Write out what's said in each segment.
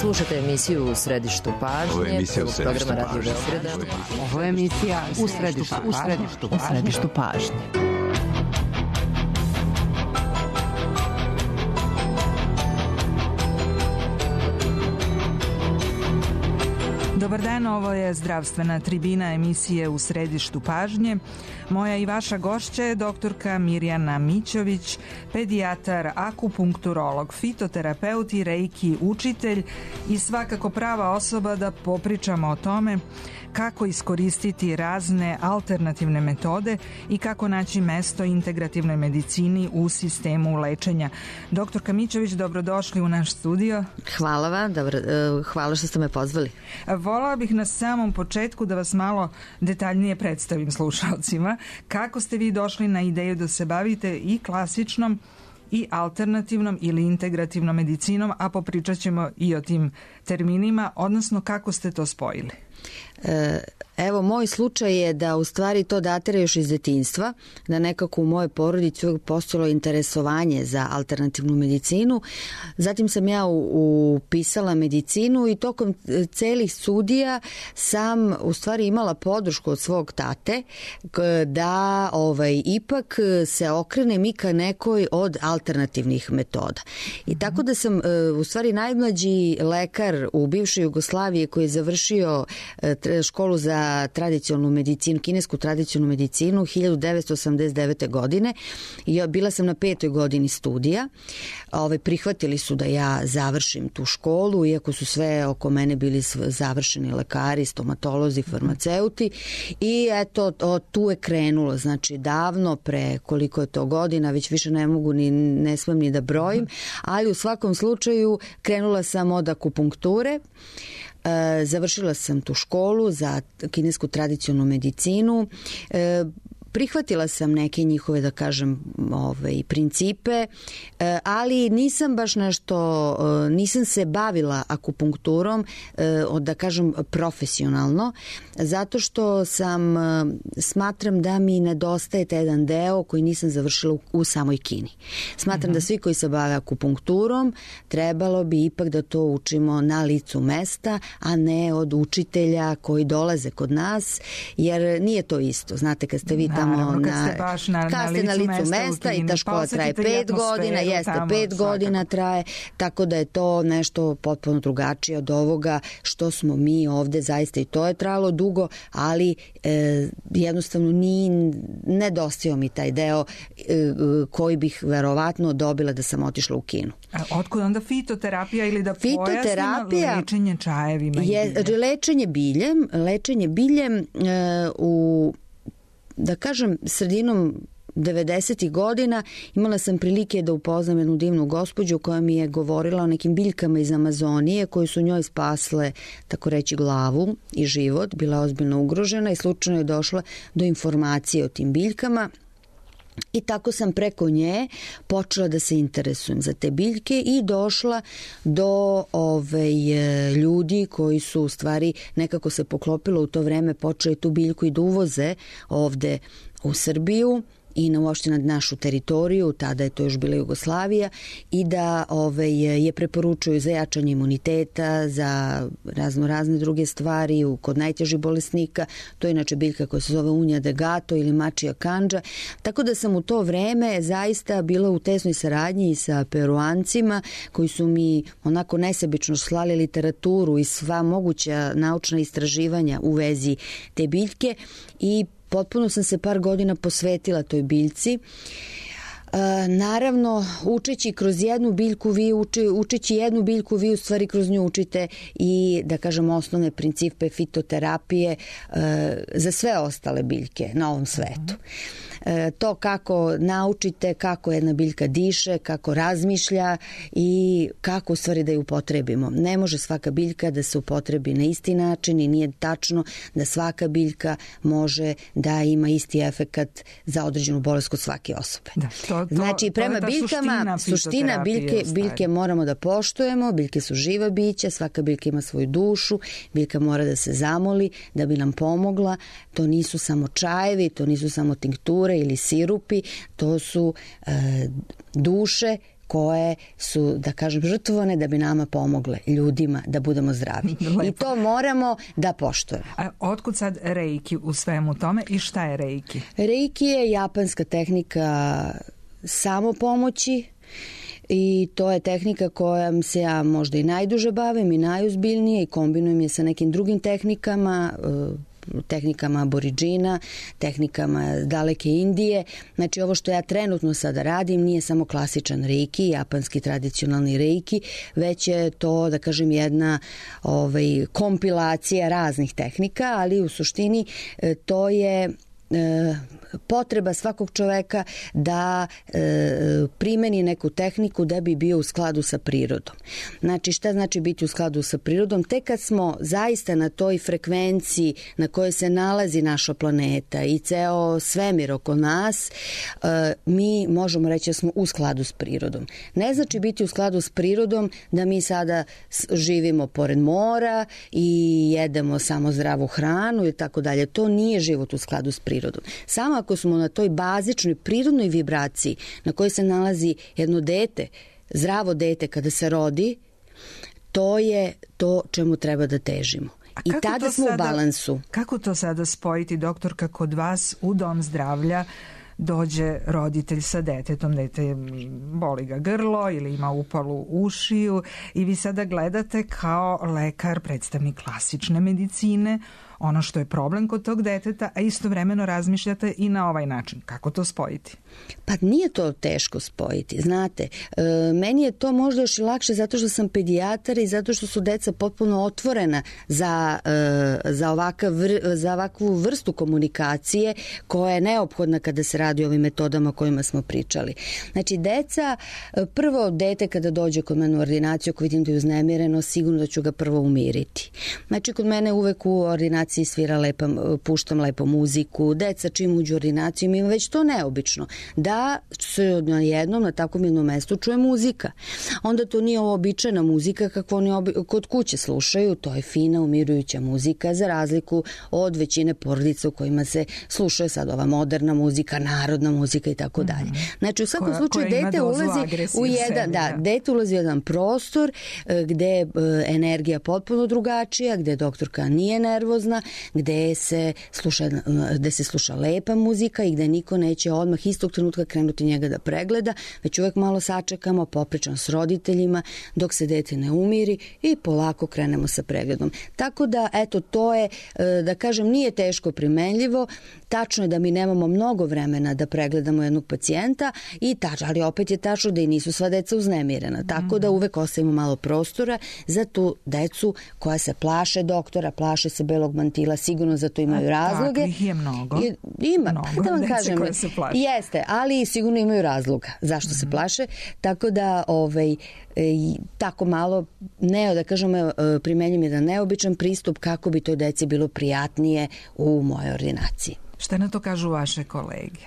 Slušate emisiju U središtu pažnje. Ovo je emisija U središtu pažnje. Ovo je emisija U središtu pažnje. Dobar dan, ovo je zdravstvena tribina emisije U središtu pažnje. Moja i vaša gošća je doktorka Mirjana Mićović, pedijatar, akupunkturolog, fitoterapeut i reiki učitelj i svakako prava osoba da popričamo o tome kako iskoristiti razne alternativne metode i kako naći mesto integrativnoj medicini u sistemu lečenja. Doktorka Mićović, dobrodošli u naš studio. Hvala vam, hvala što ste me pozvali. Volala bih na samom početku da vas malo detaljnije predstavim slušalcima. Kako ste vi došli na ideju da se bavite i klasičnom i alternativnom ili integrativnom medicinom, a popričat ćemo i o tim terminima, odnosno kako ste to spojili? Evo, moj slučaj je da u stvari to datira još iz detinjstva, da nekako u mojoj porodici uvijek postojalo interesovanje za alternativnu medicinu. Zatim sam ja upisala medicinu i tokom celih studija sam u stvari imala podršku od svog tate da ipak se okrenem i ka nekoj od alternativnih metoda. I tako da sam u stvari najmlađi lekar u bivšoj Jugoslaviji koji je završio školu za tradicionalnu medicinu, kinesku tradicionalnu medicinu 1989. godine. Bila sam na 5. godini studija. Prihvatili su da ja završim tu školu, iako su sve oko mene bili završeni lekari, stomatolozi, farmaceuti. I eto, tu je krenulo. Znači, davno, pre koliko je to godina, već više ne smem ni da brojim, ali u svakom slučaju krenula sam od akupunkture. Završila sam tu školu za kinesku tradicionalnu medicinu. Prihvatila sam neke njihove, da kažem, principe, ali nisam baš nisam se bavila akupunkturom, da kažem, profesionalno, zato što smatram da mi nedostaje taj jedan deo koji nisam završila u samoj Kini. Smatram da svi koji se bave akupunkturom trebalo bi ipak da to učimo na licu mesta, a ne od učitelja koji dolaze kod nas, jer nije to isto. Znate, kad ste vi tamo kad ste na licu mesta i ta škola traje 5 godina, 5 godina traje, tako da je to nešto potpuno drugačije od ovoga što smo mi ovde, zaista i to je trajalo dugo, ali jednostavno nedostao mi taj deo koji bih verovatno dobila da sam otišla u Kinu. A otkud onda fitoterapija ili da pojasnimo lečenje čajevima i biljem? Lečenje biljem u, da kažem, sredinom 90. godina imala sam prilike da upoznam jednu divnu gospođu koja mi je govorila o nekim biljkama iz Amazonije koje su njoj spasle, tako reći, glavu i život. Bila ozbiljno ugrožena i slučajno je došla do informacije o tim biljkama. I tako sam preko nje počela da se interesujem za te biljke i došla do ljudi koji su u stvari nekako se poklopilo u to vreme, počeli tu biljku i da uvoze ovde u Srbiju i uopšte na našu teritoriju, tada je to još bila Jugoslavija, i da je preporučuju za jačanje imuniteta, za razne druge stvari kod najtežih bolesnika. To je inače biljka koja se zove unja de gato ili mačija kandža. Tako da sam u to vreme zaista bila u tesnoj saradnji i sa Peruancima koji su mi onako nesebično slali literaturu i sva moguća naučna istraživanja u vezi te biljke i potpuno sam se par godina posvetila toj biljci. Naravno, učeći jednu biljku, vi u stvari kroz nju učite i, da kažem, osnovne principe fitoterapije za sve ostale biljke na ovom svetu. To kako naučite, kako jedna biljka diše, kako razmišlja i kako u stvari da ju upotrebimo. Ne može svaka biljka da se upotrebi na isti način i nije tačno da svaka biljka može da ima isti efekat za određenu bolest kod svake osobe. Znači, prema biljkama, suština biljke moramo da poštujemo, biljke su živa bića, svaka biljka ima svoju dušu, biljka mora da se zamoli da bi nam pomogla. To nisu samo čajevi, to nisu samo tinkture ili sirupi, to su duše koje su, da kažem, žrtvovane da bi nama pomogle, ljudima, da budemo zdravi. I to moramo da poštujemo. A otkud sad reiki u svemu tome i šta je reiki? Reiki je japanska tehnika samopomoći i to je tehnika kojom se ja možda i najduže bavim i najozbiljnije i kombinujem je sa nekim drugim tehnikama aboridžina, tehnikama daleke Indije. Znači ovo što ja trenutno sada radim nije samo klasičan reiki, japanski tradicionalni reiki, već je to, da kažem, jedna kompilacija raznih tehnika, ali u suštini to je potreba svakog čoveka da primeni neku tehniku da bi bio u skladu sa prirodom. Znači, šta znači biti u skladu sa prirodom? Tek kad smo zaista na toj frekvenciji na kojoj se nalazi naša planeta i ceo svemir oko nas, mi možemo reći da smo u skladu s prirodom. Ne znači biti u skladu s prirodom da mi sada živimo pored mora i jedemo samo zdravu hranu i tako dalje. To nije život u skladu s prirodom. Samo ako smo na toj bazičnoj prirodnoj vibraciji na kojoj se nalazi jedno dete, zdravo dete kada se rodi, to je to čemu treba da težimo. I tada smo u balansu. Kako to sada spojiti, doktorka, kod vas u dom zdravlja dođe roditelj sa detetom, dete boli ga grlo ili ima upalu ušiju i vi sada gledate kao lekar, predstavnik klasične medicine, ono što je problem kod tog deteta, a istovremeno razmišljate i na ovaj način. Kako to spojiti? Pa nije to teško spojiti, znate. Meni je to možda još i lakše zato što sam pedijatar i zato što su deca potpuno otvorena za ovakvu vrstu komunikacije koja je neophodna kada se radi o ovim metodama o kojima smo pričali. Znači, prvo dete kada dođe kod mene u ordinaciju, ako vidim da je uznemireno, sigurno da ću ga prvo umiriti. Znači, kod mene uvek u ordinaciji puštam lepo muziku, deca čim uđu u ordinaciju ima već to neobično, da se na jednom, na takvom jednom mestu čuje muzika. Onda to nije običajna muzika kakvu oni kod kuće slušaju, to je fina, umirujuća muzika, za razliku od većine porodica u kojima se slušaju sad ova moderna muzika, narodna muzika i tako dalje. Znači, u svakom slučaju dete ulazi u jedan prostor gde je energija potpuno drugačija, gde doktorka nije nervozna, gde se sluša lepa muzika i gde niko neće odmah istog trenutka krenuti njega da pregleda, već uvek malo sačekamo, popričam s roditeljima dok se dete ne umiri i polako krenemo sa pregledom. Tako da, eto, to je, da kažem, nije teško primenljivo. Tačno je da mi nemamo mnogo vremena da pregledamo jednog pacijenta, ali opet je tačno da i nisu sva deca uznemirena. Tako da uvek ostavimo malo prostora za tu decu koja se plaše doktora, plaše se belog mantila, sigurno za to imaju razloge. Takvih je mnogo. Ima. Mnogo da vam dece kažem, koje se plaše. Jeste, ali sigurno imaju razloga zašto se plaše. Tako da tako malo, da kažemo, primenjam jedan neobičan pristup kako bi toj deci bilo prijatnije u mojoj ordinaciji. Šta na to kažu vaše kolege?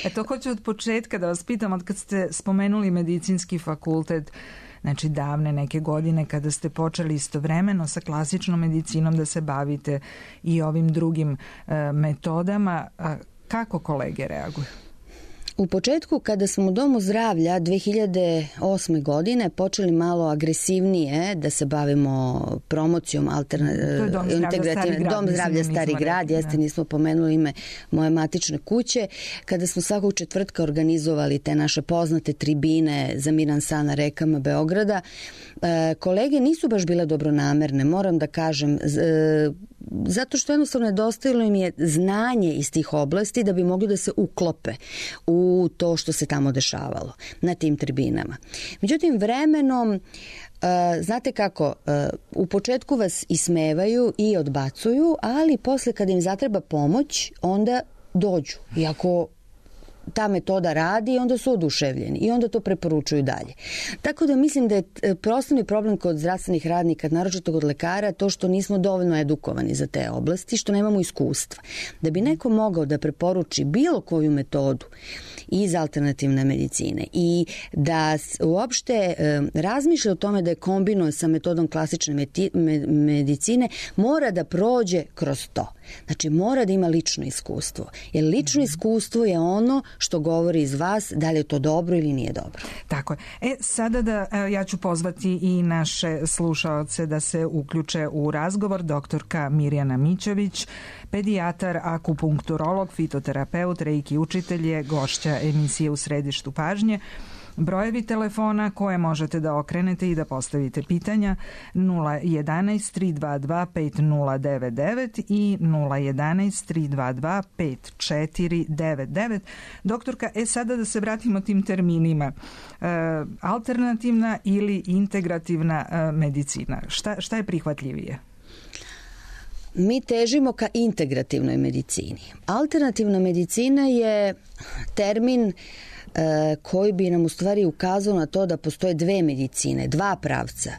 Eto, hoću od početka da vas pitam, od kad ste spomenuli medicinski fakultet, znači davne neke godine kada ste počeli istovremeno sa klasičnom medicinom da se bavite i ovim drugim metodama, kako kolege reaguju? U početku, kada smo u Domu zdravlja 2008. godine počeli malo agresivnije da se bavimo promocijom Dom zdravlja Stari grad, nismo pomenuli ime moje matične kuće, kada smo svakog četvrtka organizovali te naše poznate tribine za miran san na rekama Beograda, kolege nisu baš bile dobronamerne, moram da kažem, zato što jednostavno nedostajalo im je znanje iz tih oblasti da bi mogli da se uklope u to što se tamo dešavalo na tim tribinama. Međutim, vremenom, znate kako, u početku vas ismevaju i odbacuju, ali posle kada im zatreba pomoć, onda dođu. Iako ta metoda radi, onda su oduševljeni i onda to preporučuju dalje. Tako da mislim da je osnovni problem kod zdravstvenih radnika, naročito kod lekara, to što nismo dovoljno edukovani za te oblasti, što nemamo iskustva. Da bi neko mogao da preporuči bilo koju metodu iz alternativne medicine i da uopšte razmišlja o tome da je kombinuje sa metodom klasične medicine, mora da prođe kroz to. Znači mora da ima lično iskustvo. Jer lično iskustvo je ono što govori iz vas da li je to dobro ili nije dobro. Tako je. Sada ja ću pozvati i naše slušaoce da se uključe u razgovor. Doktorka Mirjana Mićović, pedijatar, akupunkturolog, fitoterapeut, reiki učitelj je gošća emisije U središtu pažnje. Brojevi telefona koje možete da okrenete i da postavite pitanja 011 322 5099 i 011 322 5499. Doktorka, sada da se vratimo tim terminima. Alternativna ili integrativna medicina. Šta je prihvatljivije? Mi težimo ka integrativnoj medicini. Alternativna medicina je termin koji bi nam u stvari ukazao na to da postoje dve medicine, dva pravca.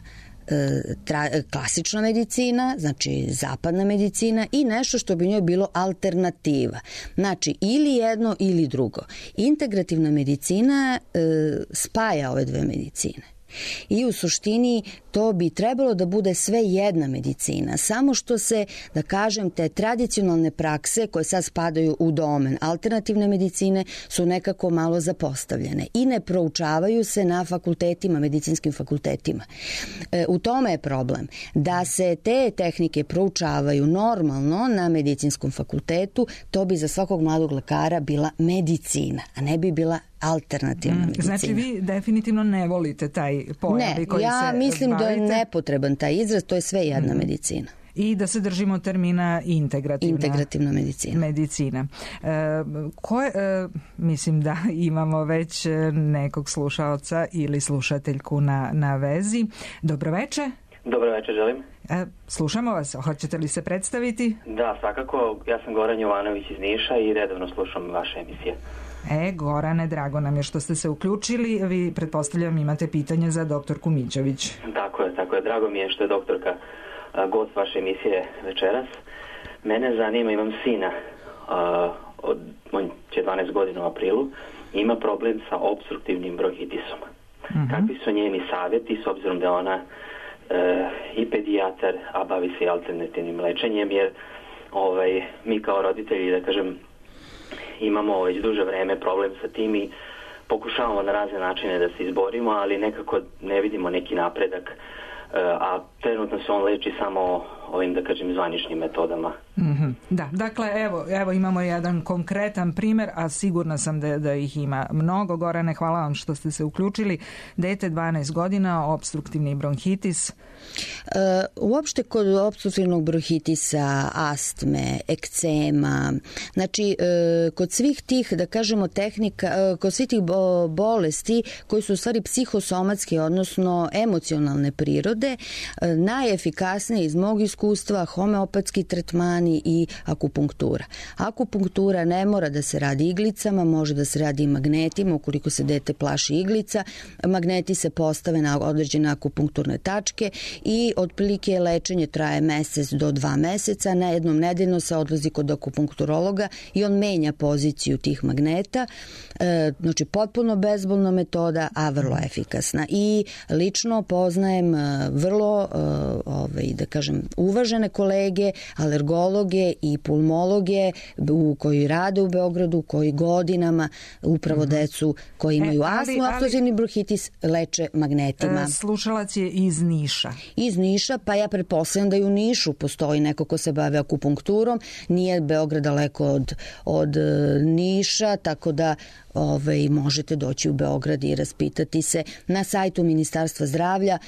Klasična medicina, znači zapadna medicina i nešto što bi njoj bilo alternativa. Znači ili jedno ili drugo. Integrativna medicina spaja ove dve medicine. I u suštini to bi trebalo da bude sve jedna medicina, samo što se, da kažem, te tradicionalne prakse koje sad spadaju u domen alternativne medicine su nekako malo zapostavljene i ne proučavaju se na fakultetima, medicinskim fakultetima. U tome je problem, da se te tehnike proučavaju normalno na medicinskom fakultetu, to bi za svakog mladog lekara bila medicina, a ne bi bila alternativna medicina. Znači vi definitivno ne volite taj pojam koji se bavite? Ne, ja mislim da je nepotreban taj izraz, to je sve jedna medicina. I da se držimo termina integrativna medicina. Mislim da imamo već nekog slušaoca ili slušateljku na vezi. Dobroveče. Dobroveče, želim. Slušamo vas, hoćete li se predstaviti? Da, svakako. Ja sam Goran Jovanović iz Niša i redovno slušam vaše emisije. Gorane, drago nam je što ste se uključili. Vi, pretpostavljam, imate pitanje za doktorku Mićović. Tako je. Drago mi je što je doktorka gost vaše emisije večeras. Mene zanima, imam sina, on će 12 godina u aprilu, ima problem sa obstruktivnim bronhitisom. Kakvi su njeni savjeti, s obzirom da je ona i pedijatar, a bavi se i alternativnim lečenjem, jer mi kao roditelji, da kažem, imamo već duže vreme problem sa tim i pokušavamo na razne načine da se izborimo, ali nekako ne vidimo neki napredak, a trenutno se on leči samo ovim, da kažem, zvaničnim metodama. Da, dakle, evo imamo jedan konkretan primer, a sigurna sam da ih ima mnogo. Gorane, hvala vam što ste se uključili. Dete 12 godina, obstruktivni bronhitis. Uopšte kod opstruktivnog bronhitisa, astme, ekcema, znači kod svih tih, da kažemo, tehnika, kod svih tih bolesti koji su u stvari psihosomatske, odnosno emocionalne prirode, najefikasnije iz mog iskustva homeopatski tretmani i akupunktura. Akupunktura ne mora da se radi iglicama, može da se radi i magnetima, ukoliko se dete plaši iglica. Magneti se postave na određene akupunkturne tačke i otprilike lečenje traje mesec do 2 meseca. Na jednom nedeljno se odlazi kod akupunkturologa i on menja poziciju tih magneta. Znači potpuno bezbolna metoda, a vrlo efikasna. I lično poznajem vrlo, da kažem, uvažene kolege, alergologe i pulmologe koji rade u Beogradu, koji godinama upravo decu koji imaju astmu, obstruktivni bronhitis leče magnetima. Slušalac je iz Niša. Iz Niša, pa ja pretpostavljam da i u Nišu postoji neko ko se bave akupunkturom. Nije Beograd daleko od Niša, tako da možete doći u Beograd i raspitati se. Na sajtu Ministarstva zdravlja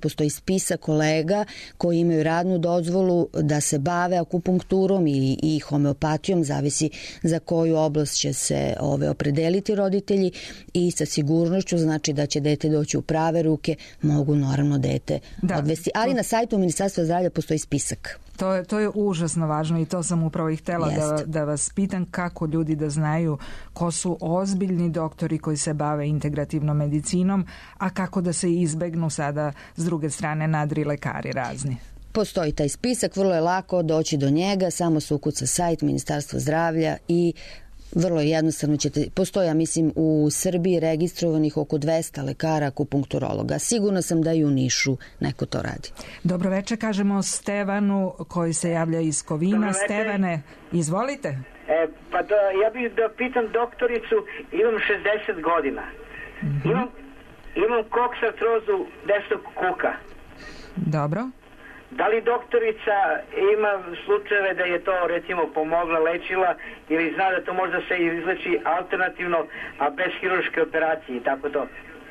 postoji spisak kolega koji imaju radnu dozvolu da se bave akupunkturom i homeopatijom, zavisi za koju oblast će se opredeliti roditelji, i sa sigurnošću znači da će dete doći u prave ruke, mogu naravno dete odvesti. Ali na sajtu Ministarstva zdravlja postoji spisak. To je užasno važno i to sam upravo i htjela da vas pitam, kako ljudi da znaju ko su ozbiljni doktori koji se bave integrativnom medicinom, a kako da se izbegnu sada s druge strane nadri lekari razni. Postoji taj spisak, vrlo je lako doći do njega, samo se ukuca sajt Ministarstva zdravlja i vrlo jednostavno postoji, ja mislim, u Srbiji registrovanih oko 200 lekara akupunkturologa. Sigurno sam da i u Nišu neko to radi. Dobroveče, kažemo Stevanu koji se javlja iz Kovina. Stevane, izvolite. Pa ja bih da pitam doktoricu, imam 60 godina. Imam koksartrozu desnog kuka. Dobro. Da li doktorica ima slučajeve da je to recimo pomogla, lečila, ili zna da to možda se izleči alternativno, a bez hirurške operacije i tako to?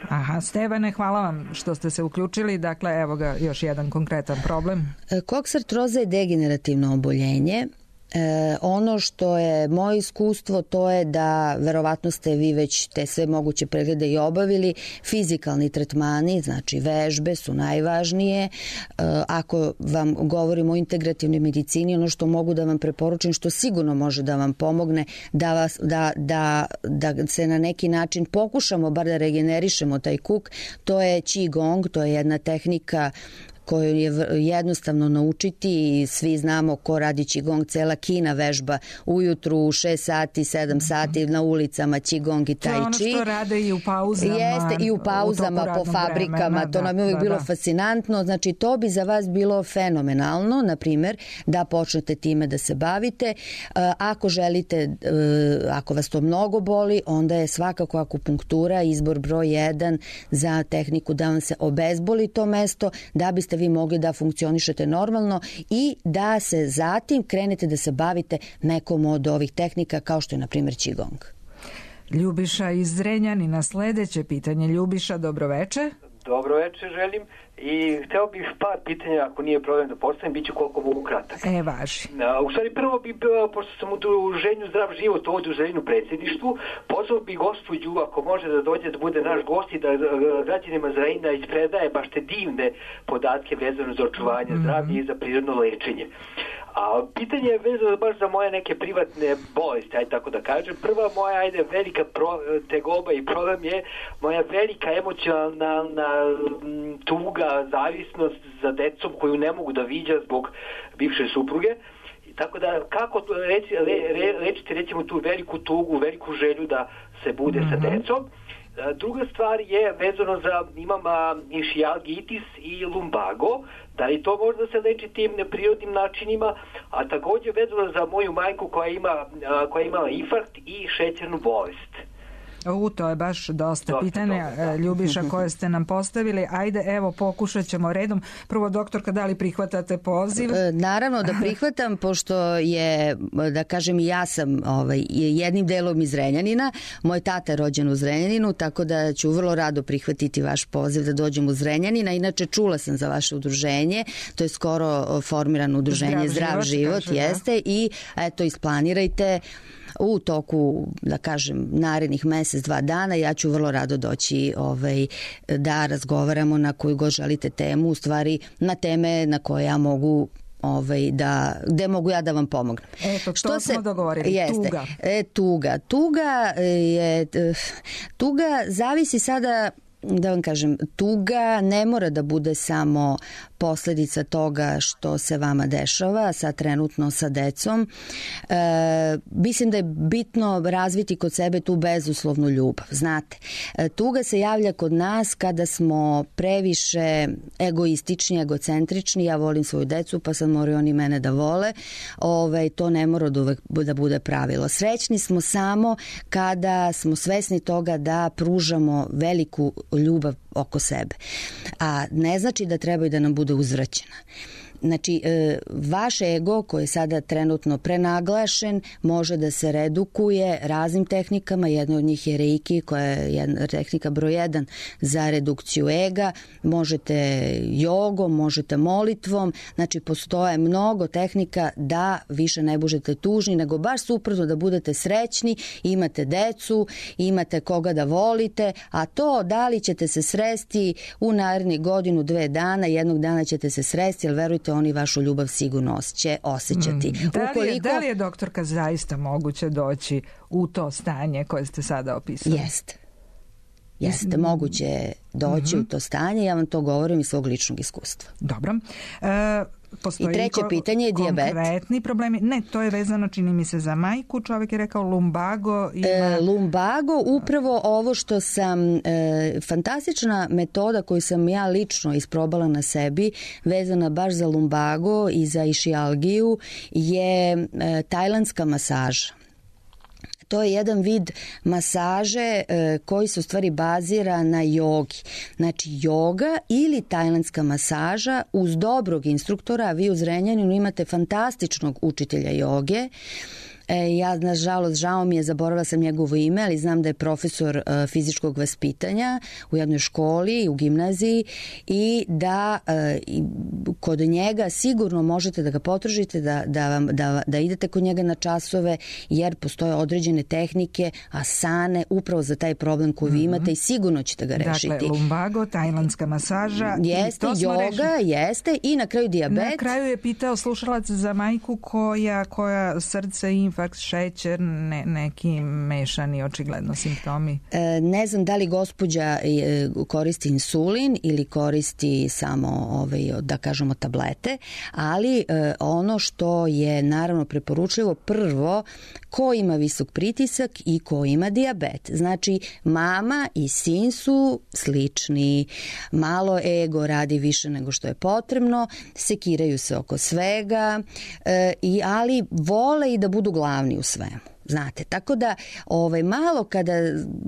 Aha, Stevane, hvala vam što ste se uključili. Dakle, evo ga još jedan konkretan problem. Koksartroza je degenerativno oboljenje. Ono što je moje iskustvo, to je da verovatno ste vi već te sve moguće preglede i obavili. Fizikalni tretmani, znači vežbe su najvažnije. Ako vam govorimo o integrativnoj medicini, ono što mogu da vam preporučim, što sigurno može da vam pomogne da se na neki način pokušamo bar da regenerišemo taj kuk, to je Qigong, to je jedna tehnika koju je jednostavno naučiti i svi znamo ko radi Qigong, cela Kina vežba ujutru 6 sati, 7 sati na ulicama Qigong i Tai Chi. To je ono što rade i u pauzama. Jeste, i u pauzama po fabrikama, to nam je uvijek bilo fascinantno. Znači, to bi za vas bilo fenomenalno, na primjer, da počnete time da se bavite. Ako želite, ako vas to mnogo boli, onda je svakako akupunktura izbor broj 1 za tehniku da vam se obezboli to mesto, da biste vi mogli da funkcionišete normalno i da se zatim krenete da se bavite nekom od ovih tehnika kao što je na primjer Qigong. Ljubiša iz Zrenjanina, sledeće pitanje. Ljubiša, dobroveče. Dobroveče želim i hteo bih par pitanja, ako nije problem da postavim, bit ću koliko mogu kratak. Važi. U stvari prvo bi, pošto sam u udruženju Zdrav život, u udruženju predsjedništvu, pozvao bi gospođu, ako može da dođe da bude naš gost i da građanima Zrenjanina ispredaje baš te divne podatke vezano za očuvanje zdravlja i za prirodno lečenje. A pitanje je vezano baš za moje neke privatne bolesti, ajde tako da kažem. Prva moja, velika tegoba i problem je moja velika emocionalna tuga, zavisnost za decom koju ne mogu da viđa zbog bivše supruge. Tako da, kako lečiti recimo tu veliku tugu, veliku želju da se bude sa decom. Druga stvar je vezano za, imam išijalgitis i lumbago, da li to može da se leči tim neprirodnim načinima, a također vezano za moju majku koja je imala infarkt i šećernu bolest. To je baš dosta pitanja, Ljubiša, koje ste nam postavili. Ajde, evo, pokušat ćemo redom. Prvo, doktorka, da li prihvatate poziv? Naravno da prihvatam, pošto je, da kažem, ja sam jednim delom iz Zrenjanina. Moj tata je rođen u Zrenjaninu, tako da ću vrlo rado prihvatiti vaš poziv da dođem u Zrenjanina. Inače, čula sam za vaše udruženje. To je skoro formirano udruženje Zdrav život, jeste. I eto, isplanirajte u toku, da kažem, narednih mesec, 2 dana, ja ću vrlo rado doći da razgovaramo na koju god želite temu, u stvari na teme na koje ja mogu gde mogu ja da vam pomognem. Eto, to smo dogovorili. Tuga. Tuga zavisi sada, da vam kažem, tuga ne mora da bude samo posledica toga što se vama dešava sad trenutno sa decom. Mislim da je bitno razviti kod sebe tu bezuslovnu ljubav. Znate, tuga se javlja kod nas kada smo previše egoistični, egocentrični. Ja volim svoju decu, pa sad moraju oni mene da vole. To ne mora da bude pravilo. Srećni smo samo kada smo svesni toga da pružamo veliku ljubav oko sebe. A ne znači da treba i da nam bude uzvraćena. Znači, vaš ego koji je sada trenutno prenaglašen može da se redukuje raznim tehnikama. Jedna od njih je Reiki, koja je tehnika broj 1 za redukciju ega. Možete jogom, možete molitvom. Znači, postoje mnogo tehnika da više ne budete tužni, nego baš suprotno da budete srećni, imate decu, imate koga da volite, a to da li ćete se sresti u narednih 1-2 dana, jednog dana ćete se sresti, ali verujte, oni vašu ljubav sigurno će osjećati. Da li je, doktorka, zaista moguće doći u to stanje koje ste sada opisali? Jeste, moguće doći u to stanje, ja vam to govorim iz svog ličnog iskustva. Dobro. postoji I treće pitanje je dijabet. Konkretni problemi. Ne, to je vezano, čini mi se, za majku. Čovjek je rekao lumbago. Lumbago, upravo ovo što sam, fantastična metoda koju sam ja lično isprobala na sebi, vezana baš za lumbago i za išijalgiju, je tajlandska masaža. To je jedan vid masaže koji se u stvari bazira na jogi. Znači joga ili tajlandska masaža uz dobrog instruktora, a vi u Zrenjaninu imate fantastičnog učitelja joge. Ja, nažalost, žao mi je, zaboravila sam njegovo ime, ali znam da je profesor fizičkog vaspitanja u jednoj školi, u gimnaziji, i da kod njega sigurno možete da ga potražite, da idete kod njega na časove, jer postoje određene tehnike, asane, upravo za taj problem koji vi imate i sigurno ćete ga rešiti. Dakle, lumbago, tajlandska masaža. Jeste, joga, jeste, i na kraju dijabet. Na kraju je pitao slušalac za majku koja srce i infarkt, šećer, neki mešani očigledno simptomi. Ne znam da li gospođa koristi insulin ili koristi samo da kažemo tablete, ali ono što je naravno preporučljivo, prvo, ko ima visok pritisak i ko ima dijabet. Znači, mama i sin su slični, malo ego radi više nego što je potrebno, sekiraju se oko svega, ali vole i da budu glavni u svemu. Znate, tako da malo kada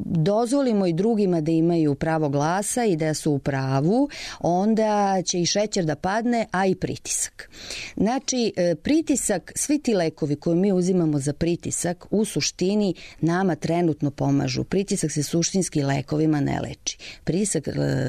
dozvolimo i drugima da imaju pravo glasa i da su u pravu, onda će i šećer da padne, a i pritisak. Znači, pritisak, svi ti lekovi koje mi uzimamo za pritisak u suštini nama trenutno pomažu. Pritisak se suštinski lekovima ne leči. Pritisak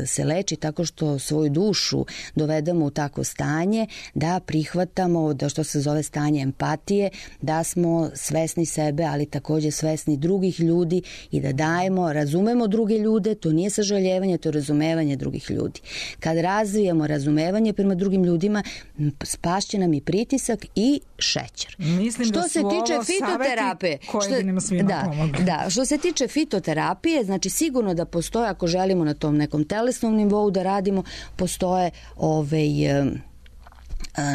se leči tako što svoju dušu dovedemo u takvo stanje da prihvatamo, da što se zove stanje empatije, da smo svesni sebe, ali također svesni drugih ljudi i da dajemo, razumemo druge ljude, to nije sažaljevanje, to je razumevanje drugih ljudi. Kad razvijamo razumevanje prema drugim ljudima, spašće nam i pritisak i šećer. Mislim što se tiče fitoterapije, što se tiče fitoterapije, znači sigurno da postoje, ako želimo na tom nekom telesnom nivou da radimo, postoje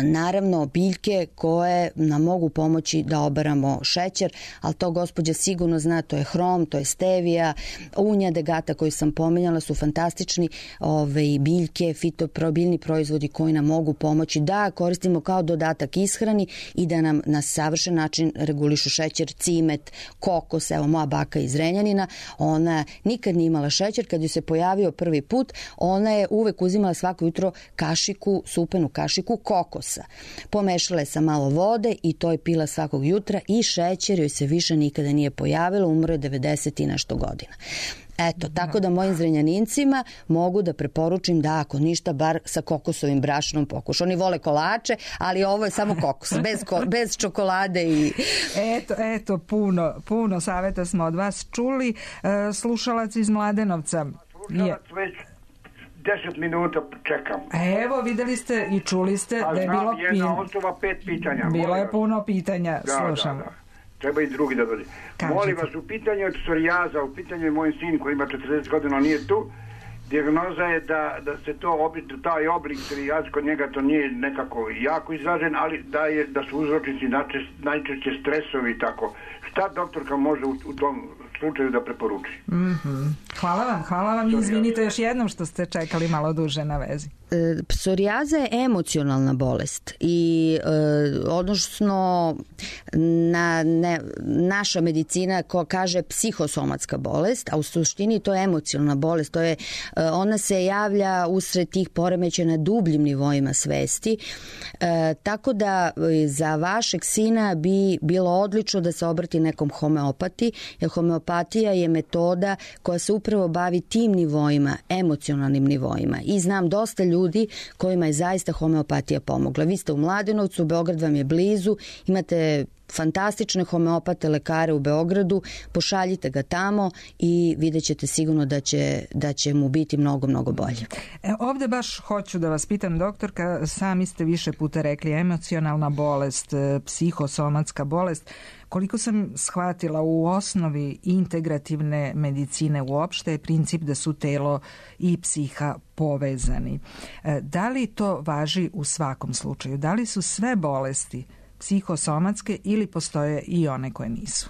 naravno biljke koje nam mogu pomoći da obaramo šećer, ali to gospođa sigurno zna, to je hrom, to je stevija, unja degata koju sam pominjala su fantastični biljke, biljni proizvodi koji nam mogu pomoći da koristimo kao dodatak ishrani i da nam na savršen način regulišu šećer, cimet, kokos. Evo, moja baka iz Zrenjanina, ona nikad nije imala šećer, kad ju se pojavio prvi put, ona je uvek uzimala svako jutro kašiku, supenu kašiku kokosa. Pomešala je sa malo vode i to je pila svakog jutra i šećer joj se više nikada nije pojavilo, umro je 90 i nešto godina. Eto, tako da mojim Zrenjanincima mogu da preporučim da ako ništa, bar sa kokosovim brašnom pokuša. Oni vole kolače, ali ovo je samo kokos, bez čokolade i... Eto, puno savjeta smo od vas čuli. Slušalac iz Mladenovca. Slušalac već 10 minuta čekam. Evo, videli ste i čuli ste da je bilo... jedna osoba, 5 pitanja. Bilo je puno pitanja, slušam. Da. Treba i drugi da dođe. Molim vas, u pitanju od psorijaza, u pitanju je moj sin koji ima 40 godina, nije tu. Dijagnoza je da se taj oblik psorijaza kod njega to nije nekako jako izražen, ali da su uzročnici najčešće stresovi i tako. Šta doktorka može u tom slučaju da preporuči? Hvala vam i izvinite još jednom što ste čekali malo duže na vezi. Psorijaza je emocionalna bolest i odnosno naša medicina kaže psihosomatska bolest, a u suštini to je emocionalna bolest. Ona se javlja usred tih poremećaja na dubljim nivoima svesti, tako da za vašeg sina bi bilo odlično da se obrati nekom homeopati, jer homeopatija je metoda koja se upravo bavi tim nivoima, emocionalnim nivoima, i znam dosta ljudi kojima je zaista homeopatija pomogla. Vi ste u Mladenovcu, Beograd vam je blizu, imate fantastične homeopate lekare u Beogradu, pošaljite ga tamo i vidjet ćete sigurno da će mu biti mnogo, mnogo bolje. Ovde baš hoću da vas pitam, doktorka, sami ste više puta rekli emocionalna bolest, psihosomatska bolest. Koliko sam shvatila, u osnovi integrativne medicine uopšte je princip da su telo i psiha povezani. Da li to važi u svakom slučaju? Da li su sve bolesti psihosomatske ili postoje i one koje nisu?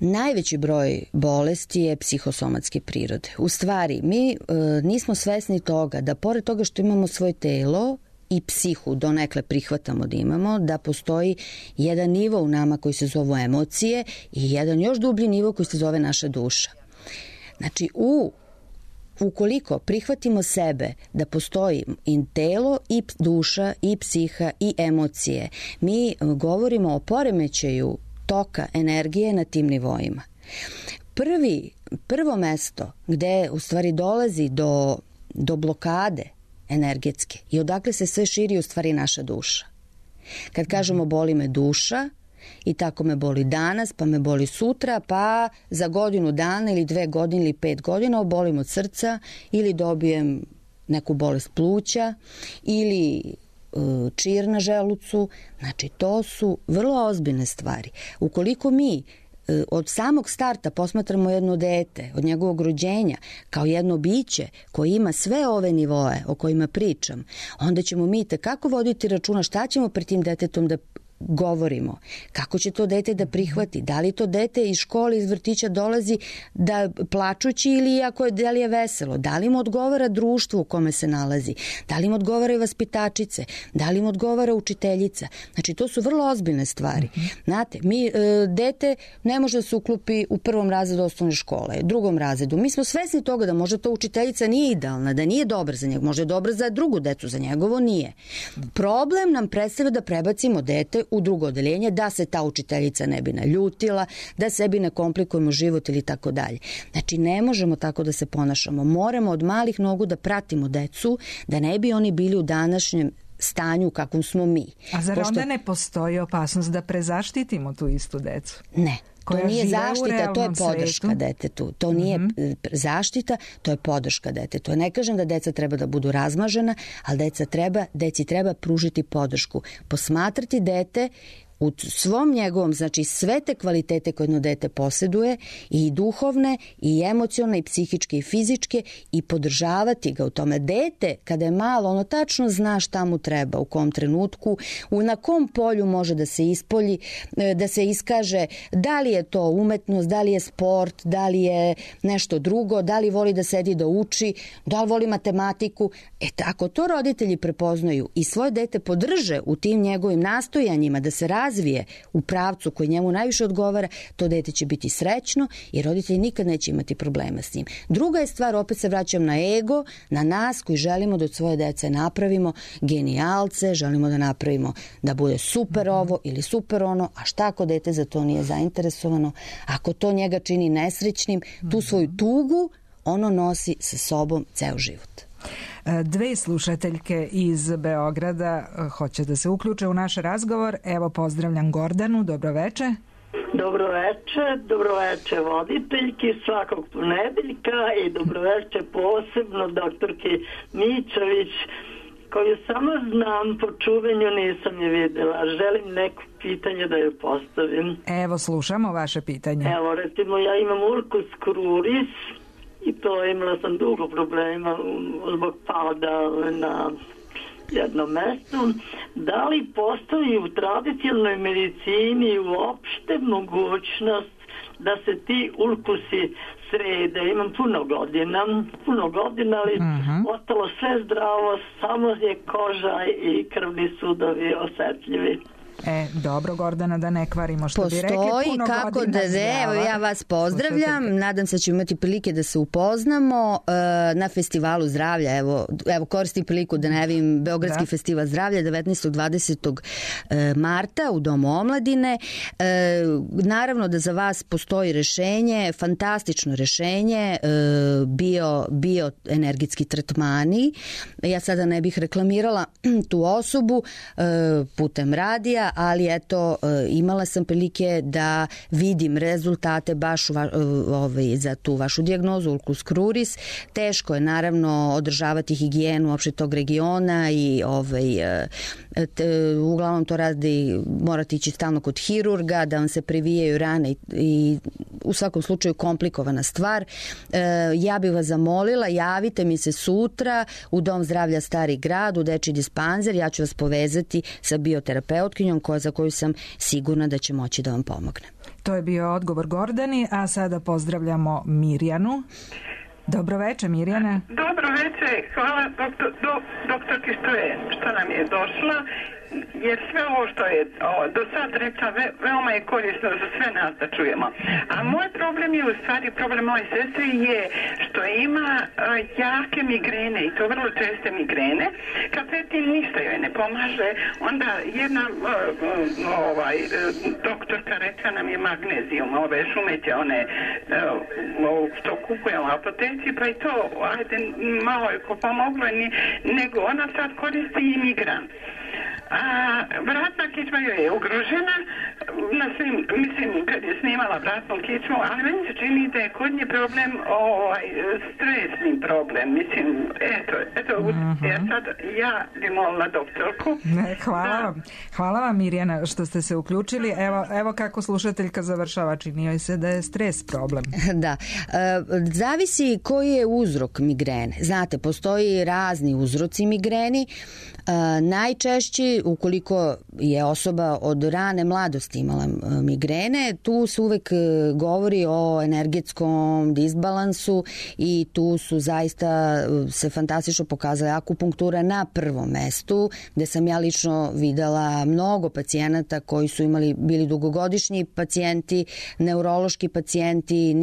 Najveći broj bolesti je psihosomatske prirode. U stvari, mi nismo svesni toga da pored toga što imamo svoje telo i psihu donekle prihvatamo da imamo, da postoji jedan nivo u nama koji se zove emocije i jedan još dublji nivo koji se zove naša duša. Znači, ukoliko prihvatimo sebe da postoji i telo i duša i psiha i emocije, mi govorimo o poremećaju toka energije na tim nivoima. Prvo mesto gde u stvari dolazi do blokade energetske i odakle se sve širi u stvari naša duša. Kad kažemo boli me duša i tako me boli danas, pa me boli sutra, pa za godinu dana ili 2 godine ili 5 godina obolim od srca ili dobijem neku bolest pluća ili čir na želucu. Znači, to su vrlo ozbiljne stvari. Ukoliko mi od samog starta posmatramo jedno dete, od njegovog rođenja, kao jedno biće koje ima sve ove nivoe o kojima pričam, onda ćemo mi tekako voditi računa šta ćemo pred tim detetom da govorimo, kako će to dete da prihvati, da li to dete iz škole, iz vrtića dolazi da plačući ili da li je veselo, da li mu odgovara društvo u kome se nalazi, da li mu odgovara vaspitačice, da li mu odgovara učiteljica. Znači, to su vrlo ozbiljne stvari. Znate, dete ne može da se uklopi u 1. razredu osnovne škole, 2. razredu. Mi smo svesni toga da možda to učiteljica nije idealna, da nije dobra za njega, možda je dobra za drugu decu, za njegovo nije. Problem nam predstavlja da prebacimo dete u drugo odeljenje, da se ta učiteljica ne bi naljutila, da sebi ne komplikujemo život ili tako dalje. Znači, ne možemo tako da se ponašamo. Moramo od malih nogu da pratimo decu, da ne bi oni bili u današnjem stanju u kakvom smo mi. A zar onda ne postoji opasnost da prezaštitimo tu istu decu? Ne. To nije zaštita, to je podrška detetu. To nije zaštita, to je podrška detetu. Ne kažem da deca treba da budu razmažena, ali deci treba pružiti podršku. Posmatrati dete u svom njegovom, znači sve te kvalitete koje jedno dete posjeduje, i duhovne, i emocionalne, i psihičke, i fizičke, i podržavati ga u tome. Dete, kada je malo, ono tačno zna šta mu treba, u kom trenutku, na kom polju može da se ispolji, da se iskaže, da li je to umetnost, da li je sport, da li je nešto drugo, da li voli da sedi da uči, da li voli matematiku. Ako to roditelji prepoznaju i svoje dete podrže u tim njegovim nastojanjima da se razvije u pravcu koji njemu najviše odgovara, to dete će biti srećno i roditelji nikad neće imati problema s njim. Druga je stvar, opet se vraćam na ego, na nas koji želimo da od svoje dece napravimo genijalce, želimo da napravimo da bude super ovo ili super ono, a šta ako dete za to nije zainteresovano, ako to njega čini nesrećnim, tu svoju tugu ono nosi sa sobom ceo život. 2 slušateljke iz Beograda hoće da se uključe u naš razgovor. Evo, pozdravljam Gordanu, dobroveče. Dobroveče voditeljki svakog ponedeljka i dobroveče posebno doktorki Mićović, koju samo znam po čuvenju, nisam je videla. Želim neko pitanje da je postavim. Evo, slušamo vaše pitanje. Evo, recimo, ja imam ulcus cruris i to imala sam dugo problema zbog pada na jednom mestu. Da li postoji u tradicionalnoj medicini uopšte mogućnost da se ti ulkusi srede? Imam puno godina, ali ostalo sve zdravo, samo je koža i krvni sudovi osetljivi. Dobro, Gordana, da ne kvarimo što bi rekli. Postoji kako da evo, ja vas pozdravljam, nadam se da ćemo imati prilike da se upoznamo na Festivalu zdravlja. Evo koristim priliku da najavim Beogradski festival zdravlja 19. 20. marta u Domu omladine. Naravno da za vas postoji rešenje, fantastično rešenje, bioenergetski tretmani. Ja sada ne bih reklamirala tu osobu putem radija, toga, ali eto, imala sam prilike da vidim rezultate baš za tu vašu dijagnozu ulcus cruris. Teško je naravno održavati higijenu uopšte tog regiona i uglavnom to radi, morate ići stalno kod hirurga da vam se privijaju rane i u svakom slučaju komplikovana stvar. Ja bih vas zamolila, javite mi se sutra u Dom zdravlja Stari grad, u dečji dispanzer, ja ću vas povezati sa bioterapeutkinjom za koju sam sigurna da će moći da vam pomogne. To je bio odgovor Gordani, a sada pozdravljamo Mirjanu. Dobro večer, Mirjana. Dobro večer, hvala doktorki što nam je došla, jer sve ovo što je do sad rekla veoma je korisno za sve nas da čujemo. A moj problem je, u stvari problem moje sestre je što ima jake migrene i to vrlo česte migrene. Kad tim ništa joj ne pomaže, onda jedna doktorka rekla nam je magnezijum, ove šumeće, one što kupujemo u apoteci, pa i to, ajde, malo je ko pomoglo, nego ona sad koristi i migran. A vratna kičma joj je ugrožena na svim, mislim, kad je snimala vratnu kičmu, ali meni se čini da je kod nje problem stresni problem, mislim, ja bi molila doktorku. Hvala vam Mirjana što ste se uključili. Evo kako slušateljka završava, čini joj se da je stres problem. Da, zavisi koji je uzrok migrene. Znate, postoji razni uzroci migreni. Najčešći, ukoliko je osoba od rane mladosti imala migrene, tu se uvek govori o energetskom disbalansu i tu su zaista se fantastično pokazala akupunktura na prvom mestu, gde sam ja lično videla mnogo pacijenata koji su bili dugogodišnji pacijenti, neurološki pacijenti,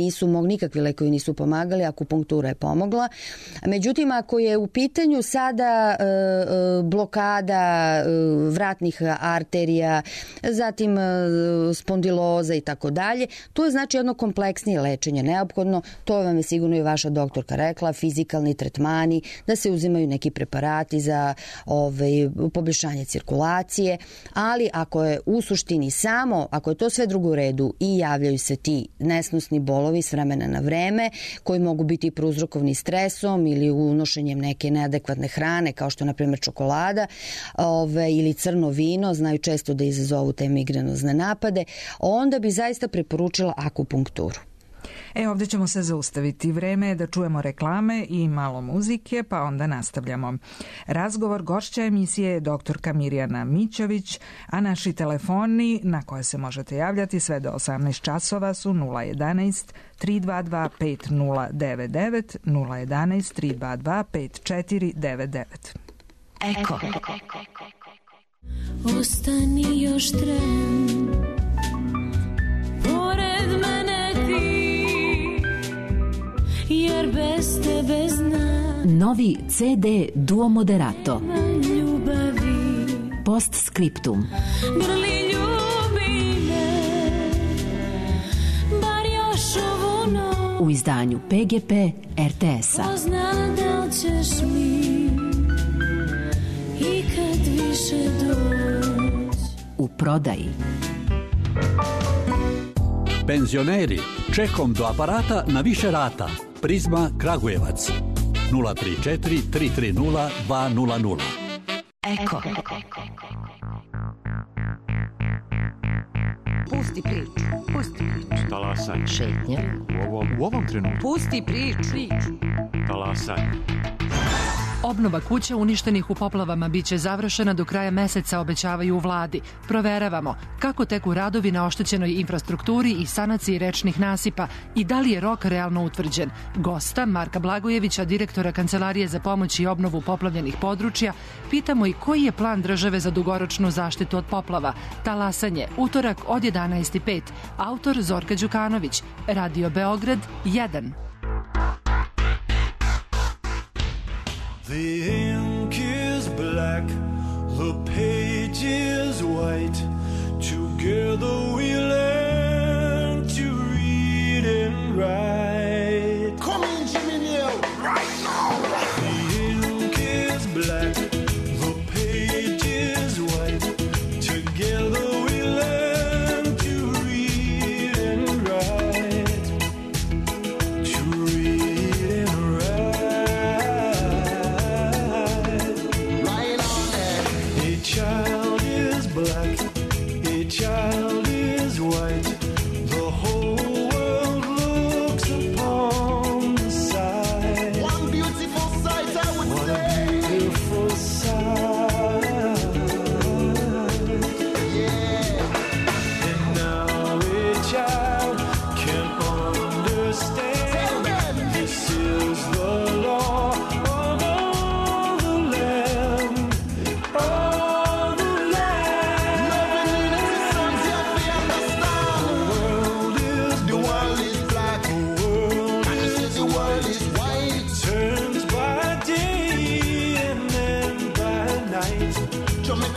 nikakvi lekovi nisu pomagali, akupunktura je pomogla. Međutim, ako je u pitanju sada blokada vratnih arterija, zatim spondiloza i tako dalje, to je znači jedno kompleksnije lečenje neophodno, to vam je sigurno i vaša doktorka rekla, fizikalni tretmani, da se uzimaju neki preparati za poboljšanje cirkulacije, ali ako je u suštini samo, ako je to sve drugo u redu i javljaju se ti nesnosni bolovi s vremena na vreme, koji mogu biti prouzrokovani stresom ili unošenjem neke neadekvatne hrane, kao što je na primjer čokolada ili crno vino, znaju često da izazovu te migrenozne napade, onda bi zaista preporučila akupunkturu. Ovdje ćemo se zaustaviti. Vreme je da čujemo reklame i malo muzike, pa onda nastavljamo. Razgovor gošća emisije je doktorka Mirjana Mićović, a naši telefoni na koje se možete javljati sve do 18 časova su 011 322 5099, 011 322 5499. Eko. Ostani još tren, pored mene ti, jer bez tebe znam. Novi CD Duo Moderato. Ljubavi. Postscriptum. Grli ljubi me, bar još ovu noć. U izdanju PGP RTS-a. Pozna da li ćeš mi i kad više doć. U prodaji. Penzioneri, čekom do aparata na više rata. Prizma Kragujevac 034 330 200. Eko. Pusti priču. Talasaj. Šetnja. U ovom trenutku. Pusti priču. Talasaj. Obnova kuća uništenih u poplavama biće završena do kraja meseca, obećavaju u vladi. Proveravamo kako teku radovi na oštećenoj infrastrukturi i sanaciji rečnih nasipa i da li je rok realno utvrđen. Gosta, Marka Blagojevića, direktora Kancelarije za pomoć i obnovu poplavljenih područja, pitamo i koji je plan države za dugoročnu zaštitu od poplava. Talasanje, utorak od 11:05. Autor Zorka Đukanović. Radio Beograd 1. The ink is black, the page is white. Together we learn to read and write. Come in, Jimmy Neal, right now. The ink is black, the page is white. Together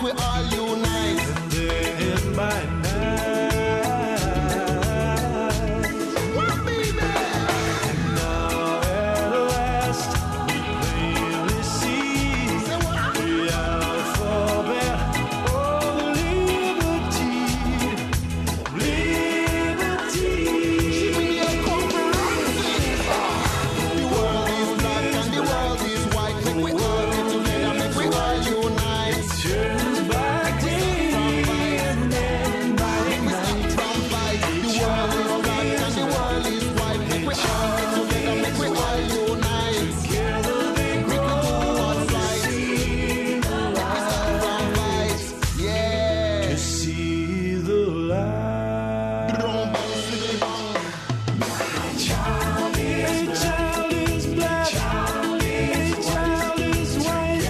we all unite. And then by night, what baby? and now at last we plainly see the alphabet of liberty. The world is black and the world is white. Make we all get together, make we all unite. Turns by day and then by night. From fight. The world is black and the world is white. Make we all get together, make we all unite. Together they We can do what's right. see the light. From fight. Yeah. To see the light. A child is black, a child is white.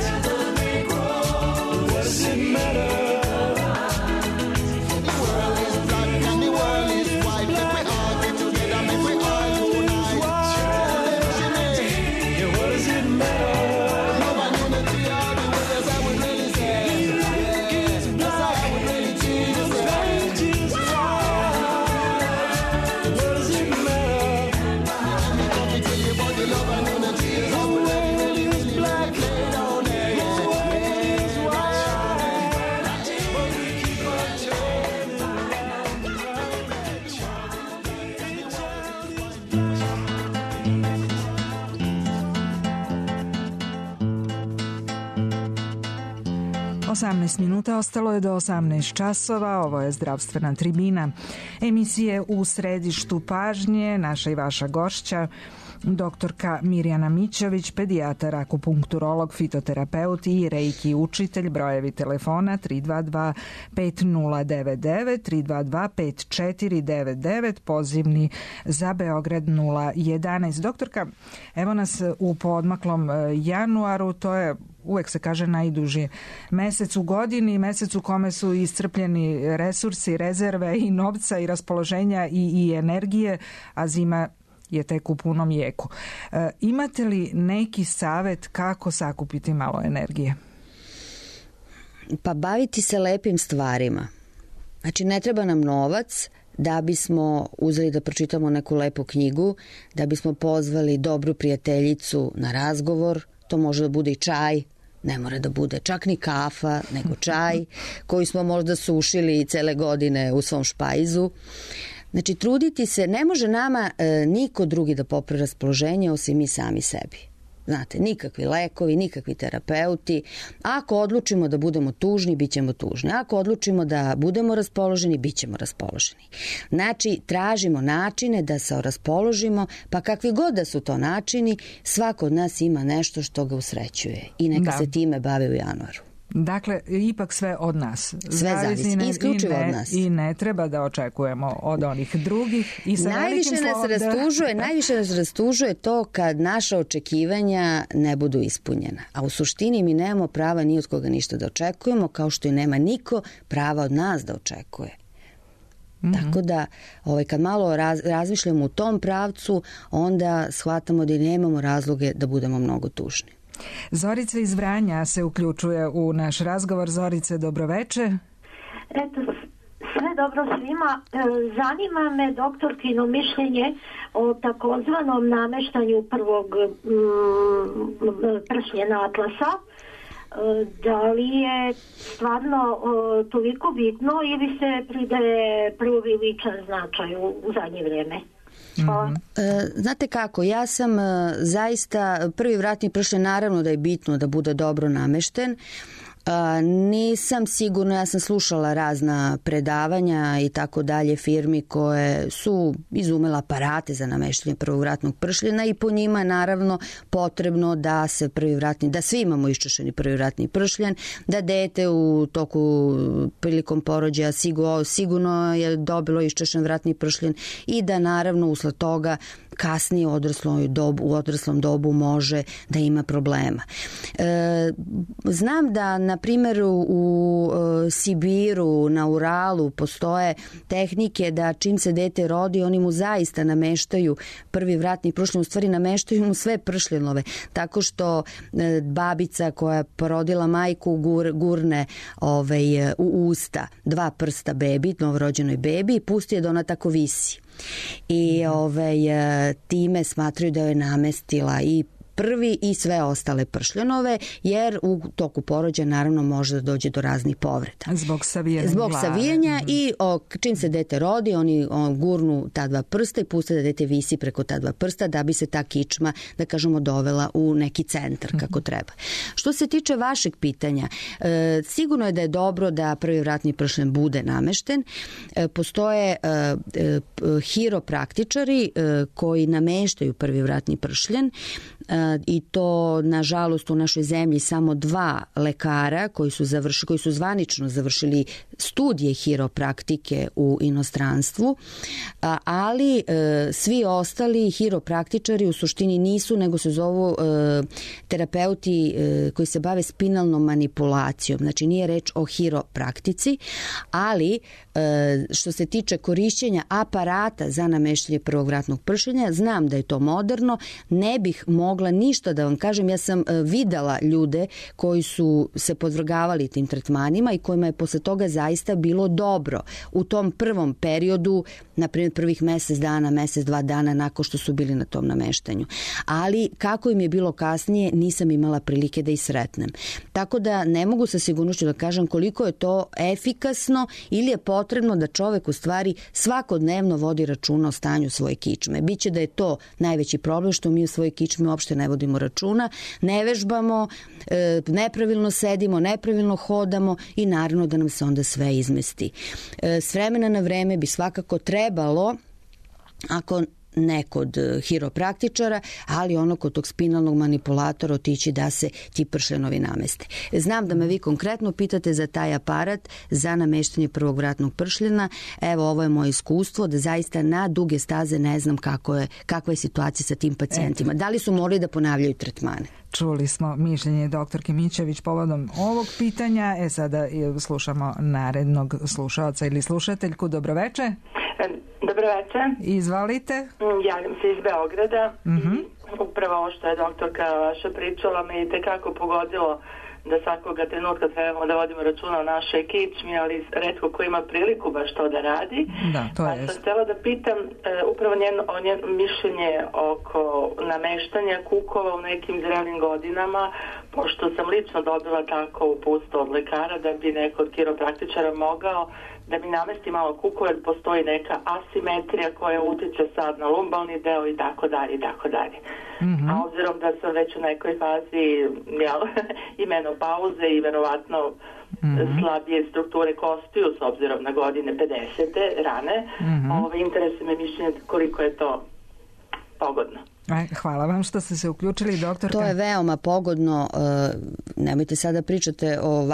What does it matter? The world is black and the world is white. Make we all get together, make we all unite. Yeah, what does it matter? Love and unity are the words I would really say. Yeah, that's how I would really choose to say. White is white. What does it matter? Let me come and tell you about the love and unity is how we really, really black. Lay down there, yeah. But we keep on turning around. Osamnaest minuta ostalo je do 18 časova. Ovo je Zdravstvena tribina. Emisije u središtu pažnje, naša i vaša gošća, doktorka Mirjana Mićović, pedijatar, akupunkturolog, fitoterapeut i reiki učitelj. Brojevi telefona 322 5099, 322 5499, pozivni za Beograd 011. Doktorka, evo nas u poodmaklom januaru, to je, uvek se kaže, najduži mesec u godini, mesec u kome su iscrpljeni resursi, rezerve i novca i raspoloženja i energije, a zima je tek u punom jeku. Imate li neki savet kako sakupiti malo energije? Pa baviti se lepim stvarima. Znači, ne treba nam novac da bismo uzeli da pročitamo neku lepu knjigu, da bismo pozvali dobru prijateljicu na razgovor. To može da bude i čaj, ne mora da bude čak ni kafa, nego čaj koji smo možda sušili cele godine u svom špajzu. Znači, truditi se, ne može nama niko drugi da popravi raspoloženje osim mi sami sebi. Znate, nikakvi lekovi, nikakvi terapeuti. Ako odlučimo da budemo tužni, bit ćemo tužni. Ako odlučimo da budemo raspoloženi, bit ćemo raspoloženi. Znači, tražimo načine da se raspoložimo, pa kakvi god da su to načini, svako od nas ima nešto što ga usrećuje. I neka se time bave u januaru. Dakle, ipak sve od nas. Sve zavisi, isključivo od nas. I ne treba da očekujemo od onih drugih. I sa najviše nas rastužuje to kad naša očekivanja ne budu ispunjena. A u suštini mi nemamo prava ni od koga ništa da očekujemo, kao što i nema niko prava od nas da očekuje. Tako da, kad malo razmišljamo u tom pravcu, onda shvatamo da nemamo razloge da budemo mnogo tužni. Zorica iz Vranja se uključuje u naš razgovor. Zorice, dobroveče. Eto, sve dobro svima. Zanima me doktorkino mišljenje o takozvanom nameštanju prvog pršljena atlasa. Da li je stvarno toliko bitno ili se pridaje preuveličan značaj u zadnje vrijeme? Znate kako, ja sam zaista, prvi vratni pršljen naravno da je bitno da bude dobro namešten. Nisam sigurna, ja sam slušala razna predavanja i tako dalje firmi koje su izumela aparate za nameštanje prvog vratnog pršljena i po njima naravno potrebno da se da svi imamo iščešeni prvi vratni pršljen, da dete u toku prilikom porođaja sigurno je dobilo iščešen vratni pršljen i da naravno usled toga kasnije u odraslom dobu može da ima problema. Znam da, na primjer u Sibiru, na Uralu postoje tehnike da čim se dete rodi, oni mu zaista nameštaju prvi vratni pršljen, u stvari nameštaju mu sve pršljenove, tako što babica koja porodila majku gurne u usta 2 prsta bebi, novorođenoj bebi, i pusti je da ona tako visi. I time smatraju da joj namestila i prvi i sve ostale pršljenove, jer u toku porođaja naravno može da dođe do raznih povreda. Zbog savijanja i čim se dete rodi, oni gurnu ta 2 prsta i puste da dete visi preko ta 2 prsta da bi se ta kičma, da kažemo, dovela u neki centar kako treba. Što se tiče vašeg pitanja, sigurno je da je dobro da prvi vratni pršljen bude namešten. Postoje hiropraktičari koji nameštaju prvi vratni pršljen, i to nažalost u našoj zemlji samo 2 lekara koji su zvanično završili studije hiropraktike u inostranstvu, ali svi ostali hiropraktičari u suštini nisu, nego se zovu terapeuti koji se bave spinalnom manipulacijom. Znači nije reč o hiropraktici, ali što se tiče korišćenja aparata za nameštanje prvog vratnog pršljenja, znam da je to moderno, ne bih mogla ništa da vam kažem. Ja sam videla ljude koji su se podvrgavali tim tretmanima i kojima je posle toga zaista bilo dobro u tom prvom periodu, na primjer prvih mesec dana, mesec, 2 dana nakon što su bili na tom nameštanju. Ali kako im je bilo kasnije, nisam imala prilike da ih sretnem. Tako da ne mogu sa sigurnošću da kažem koliko je to efikasno ili je potrebno da čovek u stvari svakodnevno vodi računa o stanju svoje kičme. Biće da je to najveći problem što mi u svojoj kičmi uopšte ne vodimo računa, ne vežbamo, nepravilno sedimo, nepravilno hodamo i naravno da nam se onda sve izmesti. S vremena na vreme bi svakako trebalo, ako ne kod hiropraktičara, ali ono kod tog spinalnog manipulatora otići da se ti pršljenovi nameste. Znam da me vi konkretno pitate za taj aparat za nameštanje prvog vratnog pršljena. Evo, ovo je moje iskustvo, da zaista na duge staze ne znam kakva je situacija sa tim pacijentima. Da li su morali da ponavljaju tretmane? Čuli smo mišljenje doktorke Mićević povodom ovog pitanja. Sada slušamo narednog slušaoca ili slušateljku. Dobroveče. Dobroveče. Izvalite. Javljam se iz Beograda. Upravo ovo što je doktorka vaša pričala me i tekako pogodilo da svakoga trenutka trebamo da vodimo računa o našoj kičmi, ali retko ko ima priliku baš to da radi. Da, to je. Sam htjela da pitam upravo njeno mišljenje oko nameštanja kukova u nekim zrelim godinama, pošto sam lično dobila tako uputstvo od lekara da bi neko od kiropraktičara mogao da mi namesti malo kukove, jer postoji neka asimetrija koja utiče sad na lumbalni deo i tako dalje i tako dalje. A obzirom da sam već u nekoj fazi i menopauze i verovatno slabije strukture kostiju s obzirom na godine 50. rane, interesuje me mišljenje koliko je to pogodno. Hvala vam što ste se uključili, doktorka. To je veoma pogodno. Nemojte sada pričate o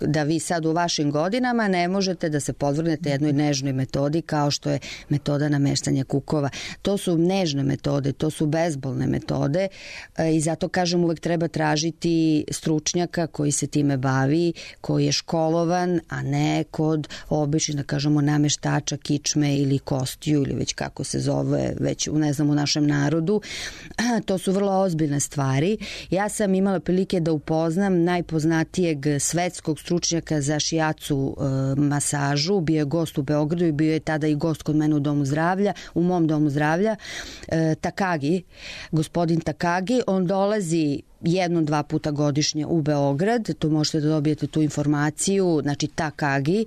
da vi sad u vašim godinama ne možete da se podvrgnete jednoj nežnoj metodi kao što je metoda nameštanja kukova. To su nežne metode, to su bezbolne metode i zato kažem uvek treba tražiti stručnjaka koji se time bavi, koji je školovan, a ne kod običnih, da kažemo, nameštača kičme ili kostiju ili već kako se zove, već ne znam u našem narodu. To su vrlo ozbiljne stvari. Ja sam imala prilike da upoznam najpoznatijeg svetskog stručnjaka za šijacu masažu. Bio je gost u Beogradu i bio je tada i gost kod mene u mom domu zdravlja. Takagi, gospodin Takagi, on dolazi 1-2 puta godišnje u Beograd, tu možete da dobijete tu informaciju, znači Takagi,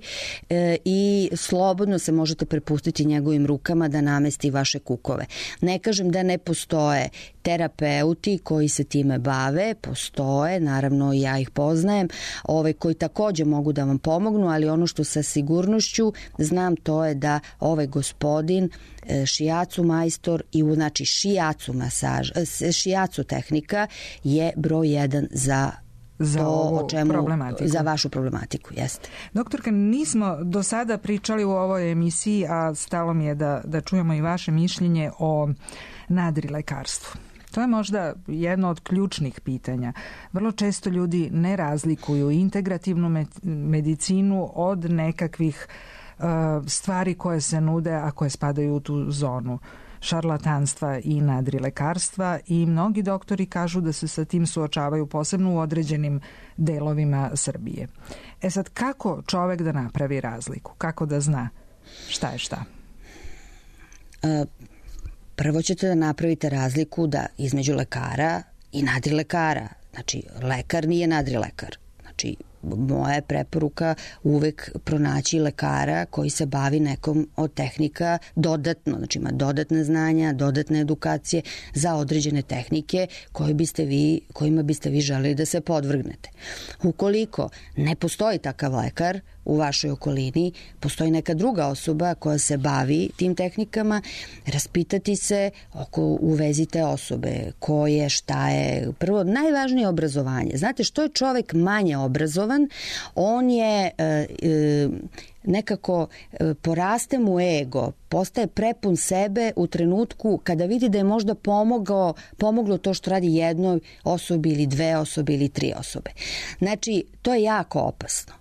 i slobodno se možete prepustiti njegovim rukama da namesti vaše kukove. Ne kažem da ne postoje terapeuti koji se time bave, postoje, naravno ja ih poznajem, koji takođe mogu da vam pomognu, ali ono što sa sigurnošću znam to je da ovaj gospodin šijacu majstor i znači šijacu tehnika je broj 1 za vašu problematiku. Jeste. Doktorka, nismo do sada pričali u ovoj emisiji, a stalo mi je da čujemo i vaše mišljenje o nadrilekarstvu. To je možda jedno od ključnih pitanja. Vrlo često ljudi ne razlikuju integrativnu medicinu od nekakvih stvari koje se nude, a koje spadaju u tu zonu šarlatanstva i nadrilekarstva, i mnogi doktori kažu da se sa tim suočavaju posebno u određenim delovima Srbije. Sad, kako čovek da napravi razliku? Kako da zna šta je šta? Prvo ćete da napravite razliku da između lekara i nadrilekara. Znači, lekar nije nadrilekar. Znači, moja je preporuka uvek pronaći lekara koji se bavi nekom od tehnika dodatno, znači ima dodatne znanja, dodatne edukacije za određene tehnike kojima biste vi želeli da se podvrgnete. Ukoliko ne postoji takav lekar u vašoj okolini, postoji neka druga osoba koja se bavi tim tehnikama, raspitati se u vezi te osobe, ko je, šta je. Prvo, najvažnije je obrazovanje. Znate, što je čovek manje obrazovan, on je nekako poraste mu ego, postaje prepun sebe u trenutku kada vidi da je možda pomoglo to što radi jednoj osobi ili dve osobe ili tri osobe. Znači, to je jako opasno.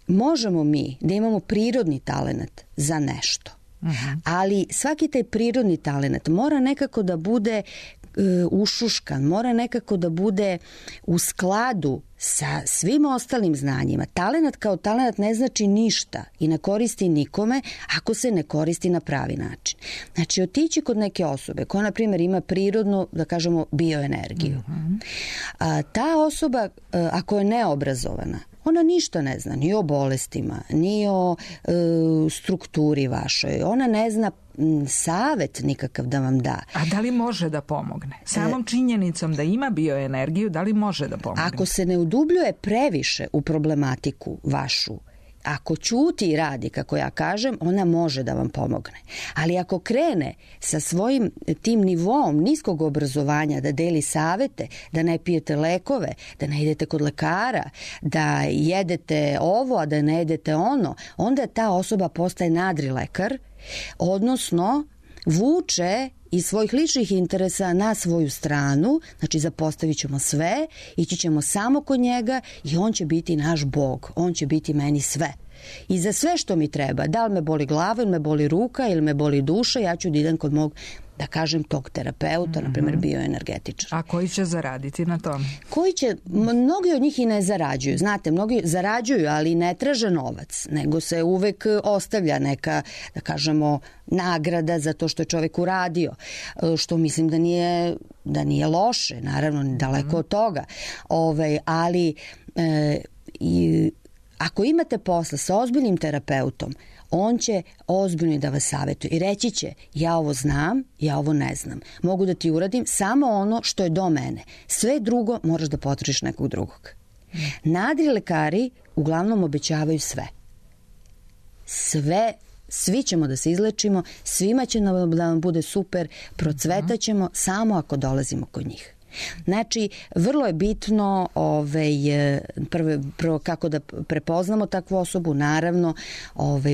Možemo mi da imamo prirodni talenat za nešto, ali svaki taj prirodni talenat mora nekako da bude ušuškan, mora nekako da bude u skladu sa svim ostalim znanjima. Talenat kao talenat ne znači ništa i ne koristi nikome ako se ne koristi na pravi način. Znači, otići kod neke osobe koja, na primjer, ima prirodnu, da kažemo, bioenergiju. Ta osoba, ako je neobrazovana, ona ništa ne zna, ni o bolestima, ni o strukturi vašoj. Ona ne zna savet nikakav da vam da. A da li može da pomogne? Samom činjenicom da ima bioenergiju, da li može da pomogne? Ako se ne udubljuje previše u problematiku vašu, ako ćuti i radi, kako ja kažem, ona može da vam pomogne. Ali ako krene sa svojim tim nivom niskog obrazovanja da deli savete, da ne pijete lekove, da ne idete kod lekara, da jedete ovo, a da ne jedete ono, onda ta osoba postaje nadrilekar, odnosno vuče iz svojih ličnih interesa na svoju stranu, znači zapostavit ćemo sve, ići ćemo samo kod njega i on će biti naš Bog, on će biti meni sve. I za sve što mi treba, da li me boli glava ili me boli ruka ili me boli duša, ja ću da idem kod mog, da kažem, tog terapeuta, na primjer bioenergetičara. A koji će zaraditi na tom? Koji će, mnogi od njih i ne zarađuju. Znate, mnogi zarađuju, ali ne traže novac, nego se uvek ostavlja neka, da kažemo, nagrada za to što je čovjek uradio, što mislim da nije loše, naravno, daleko od toga. Ali ako imate posla sa ozbiljnim terapeutom, on će ozbiljno da vas savjetuje i reći će, ja ovo znam, ja ovo ne znam. Mogu da ti uradim samo ono što je do mene. Sve drugo moraš da potražiš nekog drugog. Nadrilekari uglavnom obećavaju sve. Svi ćemo da se izlečimo, svima će da nam bude super, procvetaćemo samo ako dolazimo kod njih. Znači, vrlo je bitno prvo kako da prepoznamo takvu osobu, naravno,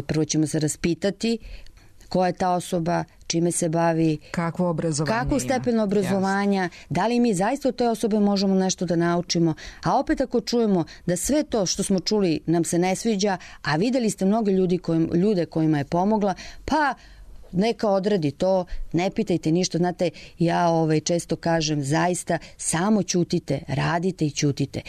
prvo ćemo se raspitati ko je ta osoba, čime se bavi, kakvo obrazovanje kako stepen obrazovanja, da li mi zaista od te osobe možemo nešto da naučimo, a opet ako čujemo da sve to što smo čuli nam se ne sviđa, a videli ste mnogo ljude kojima je pomogla, pa neka odradi to, ne pitajte ništa. Znate, ja često kažem, zaista samo ćutite, radite i ćutite.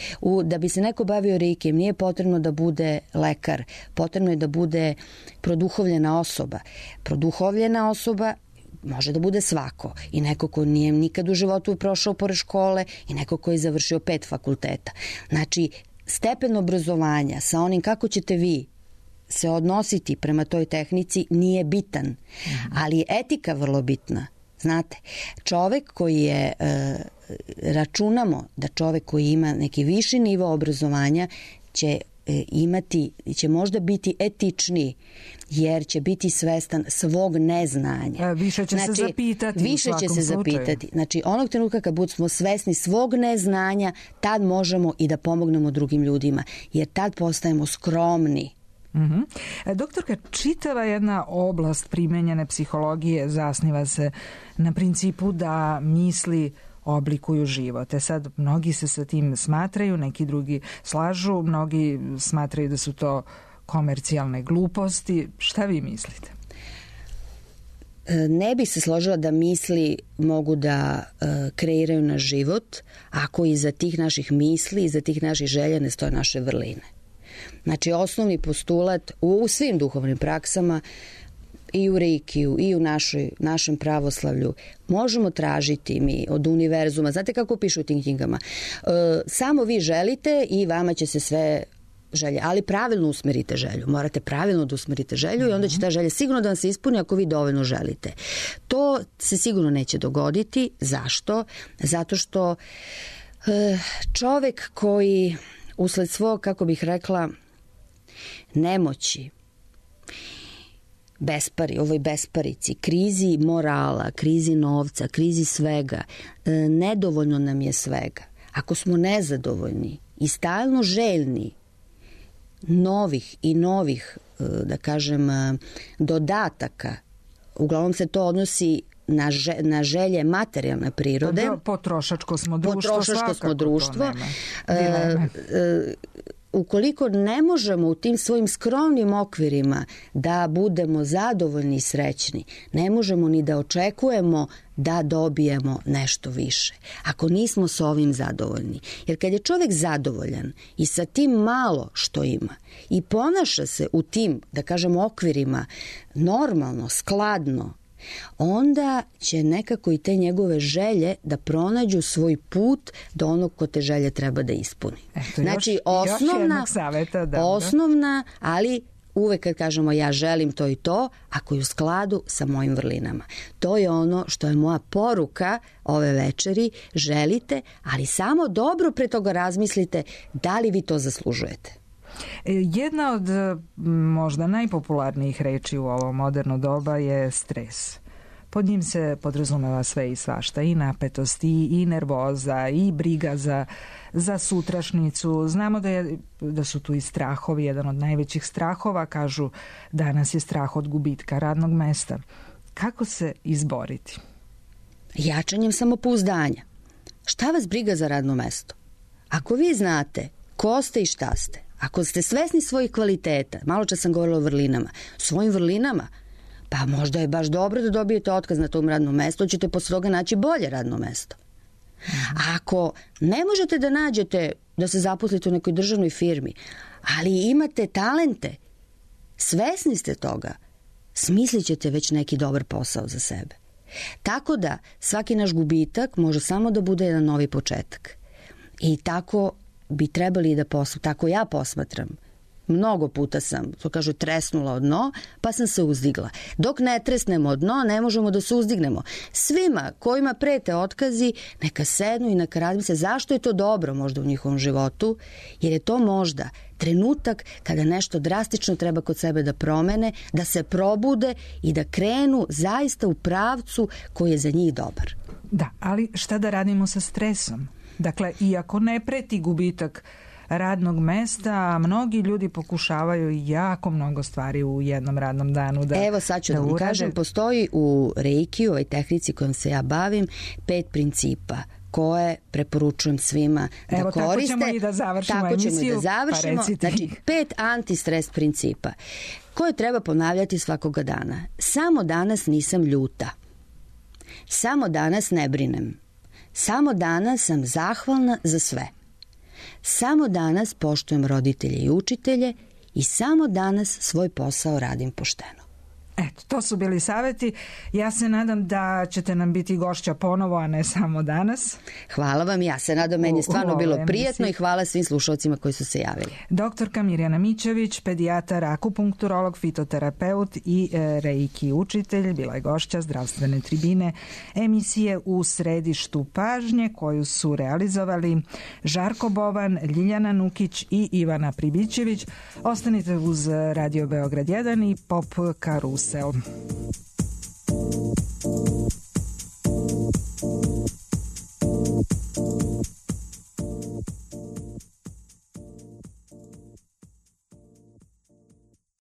Da bi se neko bavio reikijem, nije potrebno da bude lekar, potrebno je da bude produhovljena osoba. Produhovljena osoba može da bude svako, i neko ko nije nikad u životu prošao pored škole i neko ko je završio 5 fakulteta. Znači, stepen obrazovanja sa onim kako ćete vi se odnositi prema toj tehnici nije bitan, ali je etika vrlo bitna. Znate, čovek koji je, računamo da čovek koji ima neki viši nivo obrazovanja će možda biti etičniji, jer će biti svestan svog neznanja. Više će se zapitati. Više će se zapitati. Znači, onog trenutka kad budemo svesni svog neznanja, tad možemo i da pomognemo drugim ljudima, jer tad postajemo skromni. Doktorka, čitava jedna oblast primenjene psihologije zasniva se na principu da misli oblikuju život. Sad, mnogi se sa tim smatraju, neki drugi slažu, mnogi smatraju da su to komercijalne gluposti. Šta vi mislite? Ne bih se složila da misli mogu da kreiraju naš život ako iza tih naših misli, iza tih naših želja ne stoje naše vrline. Znači, osnovni postulat u svim duhovnim praksama, i u Reikiju, i u našem pravoslavlju, možemo tražiti mi od univerzuma, znate kako pišu u tim knjigama, samo vi želite i vama će se sve želje, ali pravilno usmerite želju. Morate pravilno da usmerite želju i onda će ta želja sigurno da vam se ispuni ako vi dovoljno želite. To se sigurno neće dogoditi. Zašto? Zato što čovek koji usled svog, kako bih rekla, nemoći, ovoj besparici, krizi morala, krizi novca, krizi svega, nedovoljno nam je svega. Ako smo nezadovoljni i stalno željni novih i novih, da kažem, dodataka, uglavnom se to odnosi na želje materijalne prirode. Potrošačko smo društvo. Potrošačko smo društvo. Ukoliko ne možemo u tim svojim skromnim okvirima da budemo zadovoljni i srećni, ne možemo ni da očekujemo da dobijemo nešto više. Ako nismo s ovim zadovoljni. Jer kad je čovjek zadovoljan i sa tim malo što ima i ponaša se u tim, da kažemo, okvirima normalno, skladno, onda će nekako i te njegove želje da pronađu svoj put do onog ko te želje treba da ispuni. Znači, osnovna, ali uvek kad kažemo ja želim to i to, ako je u skladu sa mojim vrlinama. To je ono što je moja poruka ove večeri. Želite, ali samo dobro pre toga razmislite da li vi to zaslužujete. Jedna od možda najpopularnijih reči u ovo moderno doba je stres. Pod njim se podrazumeva sve i svašta, i napetost, i nervoza, i briga za sutrašnjicu. Znamo da su tu i strahovi, jedan od najvećih strahova, kažu danas je strah od gubitka radnog mesta. Kako se izboriti? Jačanjem samopouzdanja. Šta vas briga za radno mesto? Ako vi znate ko ste i šta ste, ako ste svesni svojih kvaliteta, malo čas sam govorila o vrlinama, svojim vrlinama, pa možda je baš dobro da dobijete otkaz na tom radnom mestu, ćete posle toga naći bolje radno mesto. A ako ne možete da nađete da se zaposlite u nekoj državnoj firmi, ali imate talente, svesni ste toga, smislit ćete već neki dobar posao za sebe. Tako da svaki naš gubitak može samo da bude jedan novi početak. I tako bi trebali da tako ja posmatram. Mnogo puta sam, to kažu, tresnula od dno, pa sam se uzdigla. Dok ne tresnemo od dno, ne možemo da se uzdignemo. Svima kojima prete otkazi, neka sednu i neka razmisle zašto je to dobro možda u njihovom životu, jer je to možda trenutak kada nešto drastično treba kod sebe da promene, da se probude i da krenu zaista u pravcu koji je za njih dobar. Da, ali šta da radimo sa stresom? Dakle, iako ne preti gubitak radnog mesta, mnogi ljudi pokušavaju jako mnogo stvari u jednom radnom danu da urade. Evo sad ću da vam kažem, postoji u Reikiju, ovoj tehnici kojom se ja bavim, 5 principa koje preporučujem svima da koriste. Tako ćemo i da završimo emisiju. Znači, 5 antistres principa koje treba ponavljati svakoga dana. Samo danas nisam ljuta. Samo danas ne brinem. Samo danas sam zahvalna za sve. Samo danas poštujem roditelje i učitelje i samo danas svoj posao radim pošteno. Eto, to su bili savjeti. Ja se nadam da ćete nam biti gošća ponovo, a ne samo danas. Hvala vam, ja se nadam, meni je stvarno bilo prijatno i hvala svim slušalcima koji su se javili. Doktorka Mirjana Mićović, pedijatar, akupunkturolog, fitoterapeut i reiki učitelj, bila je gošća Zdravstvene tribine, emisije U središtu pažnje, koju su realizovali Žarko Bovan, Ljiljana Nukić i Ivana Pribićević. Ostanite uz Radio Beograd 1 i Pop Karusel.